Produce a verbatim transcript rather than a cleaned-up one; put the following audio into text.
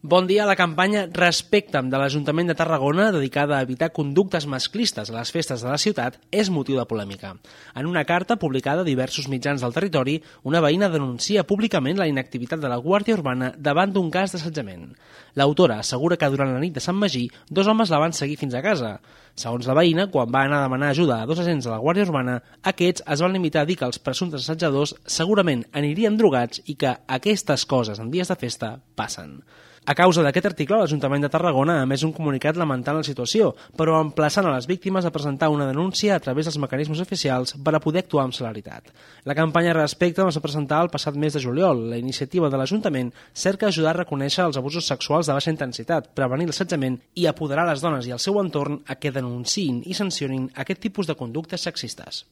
Bon dia. La campanya Respecta'm de l'Ajuntament de Tarragona, dedicada a evitar conductes masclistes a les festes de la ciutat, és motiu de polèmica. En una carta publicada a diversos mitjans del territori, una veïna denuncia públicament la inactivitat de la Guàrdia Urbana davant d'un cas d'assetjament. L'autora assegura que durant la nit de Sant Magí, dos homes la van seguir fins a casa. Segons la veïna, quan va anar a demanar ajuda a dos agents de la Guàrdia Urbana, aquests es van limitar a dir que els presumptes assetjadors segurament anirien drogats i que aquestes coses en dies de festa passen. A causa d'aquest article, l'Ajuntament de Tarragona ha emès un comunicat lamentant la situació, però emplaçant a les víctimes a presentar una denúncia a través dels mecanismes oficials per a poder actuar amb celeritat. La campanya Respecta'm es va presentar el passat mes de juliol. La iniciativa de l'Ajuntament cerca ajudar a reconèixer els abusos sexuals de baixa intensitat, prevenir l'assetjament i apoderar les dones i el seu entorn a que denunciïn i sancionin aquest tipus de conductes sexistes.